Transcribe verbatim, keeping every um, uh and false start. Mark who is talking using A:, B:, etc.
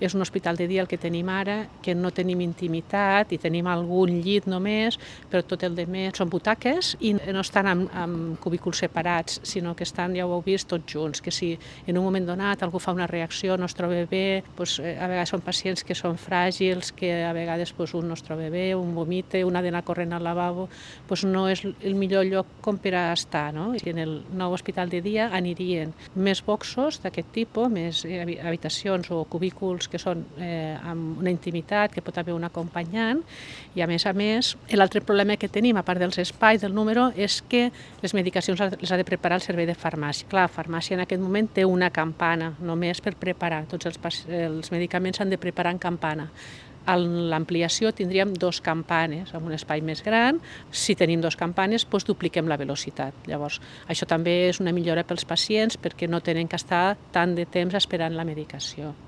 A: És un hospital de dia el que tenim ara, que no tenim intimitat i tenim algun llit només, però tot el de més són butaques i no estan amb, amb cubículs separats, sinó que estan, ja ho heu vist, tots junts, que si en un moment donat algú fa una reacció, no es troba bé, doncs, a vegades són pacients que són fràgils, que a vegades doncs, un no es troba bé, un vomita, un ha d'anar corrent al lavabo, doncs no és el millor lloc com per a estar, no? I en el nou hospital de dia anirien més boxos d'aquest tipus, més habitacions o cubículs que són eh, amb una intimitat, que pot haver un acompanyant, i a més a més, l'altre problema que tenim, a part dels espais, del número, és que les medicacions les ha de preparar el servei de farmàcia. Clar, la farmàcia en aquest moment té una campana, només per preparar. Tots els, els medicaments s'han de preparar en campana. A l'ampliació tindríem dos campanes, amb un espai més gran. Si tenim dos campanes, doncs dupliquem la velocitat. Llavors, això també és una millora pels pacients perquè no tenen que estar tant de temps esperant la medicació.